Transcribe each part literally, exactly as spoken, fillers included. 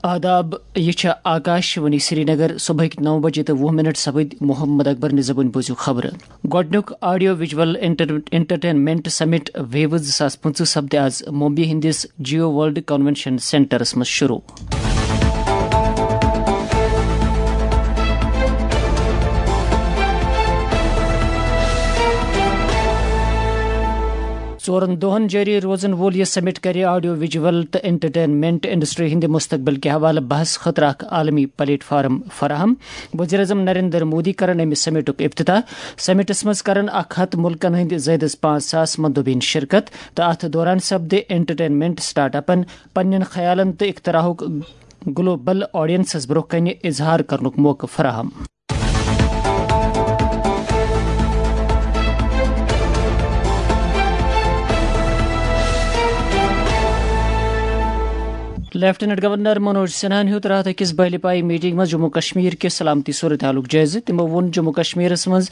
آداب، یہِ چھےٚ آکاش وانی سرینگر۔ صبحٕکۍ نَو بجے تہٕ وُہ منٹ سپٕدۍ۔ محمد اکبر نہِ زبٲنۍ بوٗزِو خبرٕ۔ گۄڈٕنیُک آڈیو وجول انٹر-، انٹرٹینمنٹ سمٹ ویوز زٕ ساس پٕنٛژٕہ سپدِ آز ممبئی ہٕنٛدِس جیو ورلڈ کنونشن سینٹرس منٛز شروع۔ ژورن دۄہن جٲری روزن وول یہِ سمٹ کرِ آڈیو ویجول تہٕ انٹرٹینمنٹ انڈسٹری ہٕنٛدِ مستقبل کہِ حوالہٕ بحث خٲطرٕ اکھ عالمی پلیٹ فارم فراہم۔ وزیر اعظم نریندر مودی کرن امہِ سمٹُک افتتاح۔ سمٹس منٛز کرن اکھ ہتھ ملکن ہٕنٛدۍ زائد از پانٛژھ ساس مندوبین شرکت تہٕ اتھ دوران سپدِ انٹرٹینمنٹ سٹارٹ اپن پننٮ۪ن خیالن تہٕ اختراعُک گلوبل آڈینسس برونٛہہ کنہِ اظہار کرنُک موقعہٕ فراہم۔ لیفٹیننٹ گورنر منوج سنہاہن ہیوٚت راتھ أکِس بہلہِ پایہِ میٹنگ منٛز جموں کشمیر کہِ سلامتی صورتحالُک جٲیزٕ۔ تِمو ووٚن جموں کشمیرس منٛز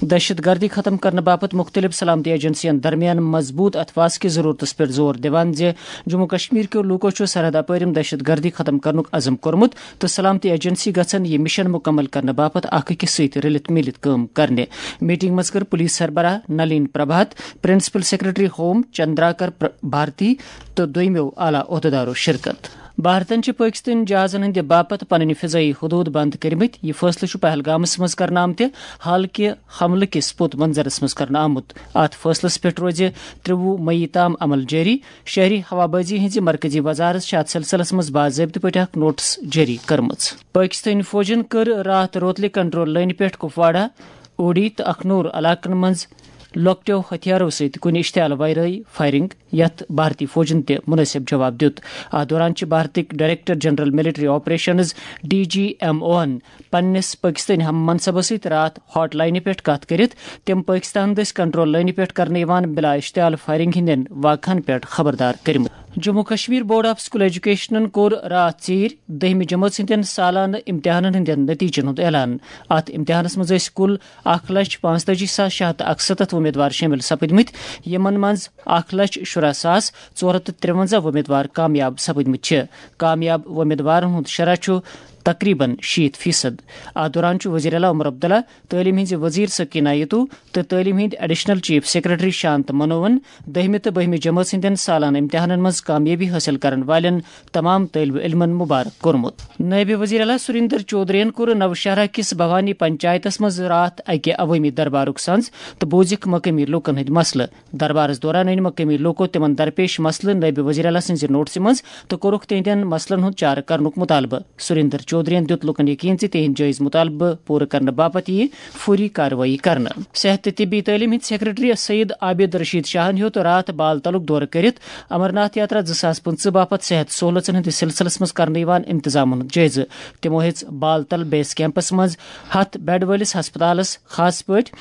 دہشت گردی ختم کرنہٕ باپتھ مُختٔلِف سلامتی ایجنسین درمیان مضبوٗط اتفاق کہِ ضروٗرتس پٮ۪ٹھ زور دِوان زِ جموں کشمیر کیو لوٗکو چھُ سرحد اپٲرۍ دہشت گردی ختم کرنُک عزم کوٚرمُت تہٕ سلامتی ایجنسی گژھن یہِ مشن مکمل کرنہٕ باپتھ اکھ أکِس سۭتۍ رلِتھ مِلِتھ کٲم کرنہِ۔ میٹنگ منٛز کٔر پولیس سربراہ Nalin Prabhat, principal secretary home چندراکر پر-، بھارتی تہٕ دوٚیمٮ۪و اعلیٰ عہدیدارو شرکت۔ بھارتن چھِ پٲکستٲنۍ جہازن ہٕنٛدِ باپتھ پنٕنۍ فضٲیی حدود بند کٔرمٕتۍ۔ یہِ فٲصلہٕ چھُ پہلگامس منٛز کرنہٕ آمتہِ حالکہِ حملہٕ کِس پوٚت منظرس منٛز کرنہٕ آمُت۔ اتھ فٲصلس پٮ۪ٹھ روزِ ترٛوُہ مئی تام عمل جٲری۔ شہری ہوابازی ہٕنٛزِ مرکزی وزارت چھِ اتھ سلسلس منٛز باضٲبطہٕ پٲٹھۍ اکھ نوٹس جٲری کٔرمٕژ۔ پٲکستٲنۍ فوجن کٔر راتھ روتلہِ کنٹرول لٲنہِ پٮ۪ٹھ کپواڑہ، اوڑی تہٕ اکھنور علاقن منٛز لۄکٹیو ہتھیارو سۭتۍ کُنہِ اشتعال ورٲے فائرنگ، یتھ بھارتی فوجن تہِ مناسب جواب دیُت۔ اتھ دوران چھِ بھارتٕکۍ director general military operations, D G M اوہن، پننِس پٲکستٲنۍ ہم منصبس سۭتۍ راتھ ہاٹ لائنہِ پٮ۪ٹھ کتھ کٔرِتھ تِم پٲکستان دٔسۍ کنٹرول لٲنہِ پٮ۪ٹھ کرنہٕ یِوان بلا اشتعال فائرنگ ہٕنٛدٮ۪ن واقعن پٮ۪ٹھ خبردار کٔرمٕتۍ۔ Jammu Kashmir board of school ایجوکیشنن کوٚر راتھ ژیٖرۍ دٔہمہِ جمٲژ ہٕنٛدٮ۪ن سالانہٕ امتحانن ہٕنٛدٮ۪ن نتیجن ہُنٛد اعلان۔ اتھ امتحانس منٛز ٲسۍ کُل اکھ لچھ پانٛژتٲجی ساس شےٚ ہتھ تہٕ اکسَتتھ وۄمیدوار شٲمِل سپٕدمٕتۍ، یِمن منٛز اکھ لچھ شُراہ ساس ژور ہتھ تہٕ ترٛوَنزاہ وۄمیدوار کامیاب سپٕدمٕتۍ چھِ۔ کامیاب وۄمیدوارن ہُنٛد شرح چھُ تقریباً شیٖتھ فیصد۔ اتھ دوران چھُ وزیر اعلیٰ عمر عبداللہ، تعلیٖم ہٕنٛزِ وزیر سکینہ یتو تہٕ تعلیٖم ہٕنٛدۍ ایڈیشنل چیف سیکرٹری شانت منوہن دٔہمہِ تہٕ بٔہمہِ جمٲژ ہٕنٛدٮ۪ن سالانہٕ امتحانن منٛز کامیٲبی حٲصِل کرن والٮ۪ن تمام طٲلبہِ علمن مبارک کوٚرمُت۔ نٲیِب وزیر اعلیٰ سریندر چودھرین کوٚر نوشہرہ کِس بھوانی پنچایتس منٛز راتھ اکہِ عوٲمی دربارُک سنز تہٕ بوٗزِکھ مقٲمی لوٗکن ہٕنٛدۍ مسلہٕ۔ دربارس دوران أنۍ مقٲمی لوٗکو تِمن درپیش مسلہٕ نٲیِب وزیر اعلیٰ سٕنٛزِ نوٹسہِ منٛز تہٕ کوٚرُکھ تِہنٛدٮ۪ن مسلن ہُنٛد چارٕ کرنُک مطالبہٕ۔ سریندر چودھرین دیُت لوٗکن یقین زِ تِہنٛدۍ جٲیز مطالبہٕ پوٗرٕ کرنہٕ باپتھ یِیہِ فوری کاروٲیی کرنہٕ۔ صحت تہٕ طبی تعلیٖم ہٕنٛدۍ سیکرٹری سید عابد رشید شاہن ہیوٚت راتھ بال تلُک دورٕ کٔرِتھ امرناتھ یاترا زٕ ساس پٕنٛژٕہ باپتھ صحت سہوٗلژن ہٕنٛدِس سلسلس منٛز کرنہٕ یِوان انتظامن ہُنٛد جٲیزٕ۔ تِمو ہیٚژ بال تل بیس کیمپس منٛز ہتھ بیڈ وٲلِس ہسپتالس، خاص پٲٹھۍ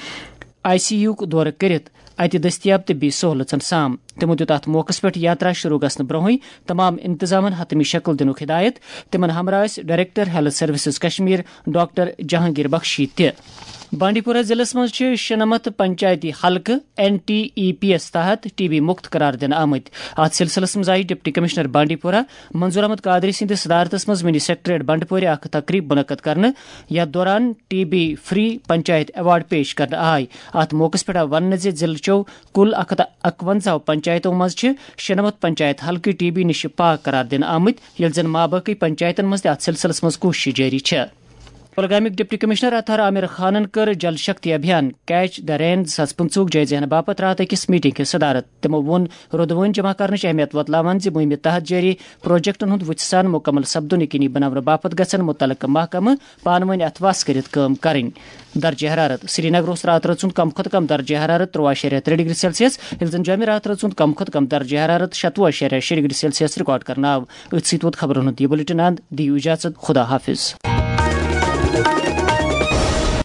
آئی سی یوُک دورٕ کٔرِتھ اتہِ دٔستیاب طبی سہوٗلژن سام۔ تِمو دیُت اتھ موقعس پٮ۪ٹھ یاترا شروع گژھنہٕ برونٛہٕے تمام انتظامن حتمی شکل دِنُک ہدایت۔ تِمن ہمراہ ٲسۍ director health services Kashmir doctor Jahangir بخشی تہِ۔ بانڈی پورہ ضلعس منٛز چھِ شُنَمَتھ پنچایتی حلقہٕ این ٹی ای پی یَس تحت ٹی بی مُکت قرار دِنہٕ آمٕتۍ۔ اَتھ سلسلس منٛز آیہِ ڈپٹی کمشنر بانڈی پورہ منظور احمد قادری سٕنٛدِس صدارتس منٛز منی سیکریٹریٹ بنڈپورِ اکھ تقریب منعقد کرنہٕ، یتھ دوران T B free panchayat award پیش کرنہٕ آے۔ اَتھ موقعس پٮ۪ٹھ آو وننہٕ زِ ضلعہٕ چٮ۪و کُل اکھ ہتھ اکونزہ پنچایتو منٛز چھِ شُنَمَتھ پنچایت حلقہٕ ٹی بی نِش پاک قرار دِنہٕ آمٕتۍ، ییٚلہِ زن مابٲقی پنچایتن منٛز تہِ اَتھ سلسلس منٛز کوٗششہٕ جٲری چھےٚ۔ کۄلگامیُک ڈپٹی کمشنر اطہر عامر خانن کٔر جل شکتی ابھیان کیچ دی رین زٕ ساس پٕنٛژٕہُک جٲیزٕ ہینہٕ باپتھ راتھ أکِس میٹنگ ہٕنٛز صدارت۔ تِمو ووٚن رودٕ وٲنۍ جمع کرنٕچ اہمیت وۄتلاوان زِ مُہِمہِ تحت جٲری پروجیکٹن ہُنٛد وُژھِ سان مُکمل سپدُن یقینی بناونہٕ باپتھ گژھن مُتعلقہٕ محکمہٕ پانہٕ وٲنۍ اتھہٕ واس کٔرِتھ کٲم کرٕنۍ۔ درجہ حرارت۔ سری نگر اوس راتہٕ رٲژ ہُنٛد کم کھۄتہٕ کم درجہ حرارت تُرٛواہ اَشاریہ ترٛےٚ ڈگری سیلسیس، ییٚلہِ زن جوٚمہِ راتہٕ رٲژ ہُنٛد کم کھۄتہٕ کم درجہ حرارت شتوُہ اَشاریہ شےٚ ڈگری سیلسیس ریکارڈ کرنہٕ آو۔ أتھۍ سۭتۍ ووت خبرن ہُنٛد یہِ بُلٹن اند۔ دِیِو اجازت، خدا حافظ۔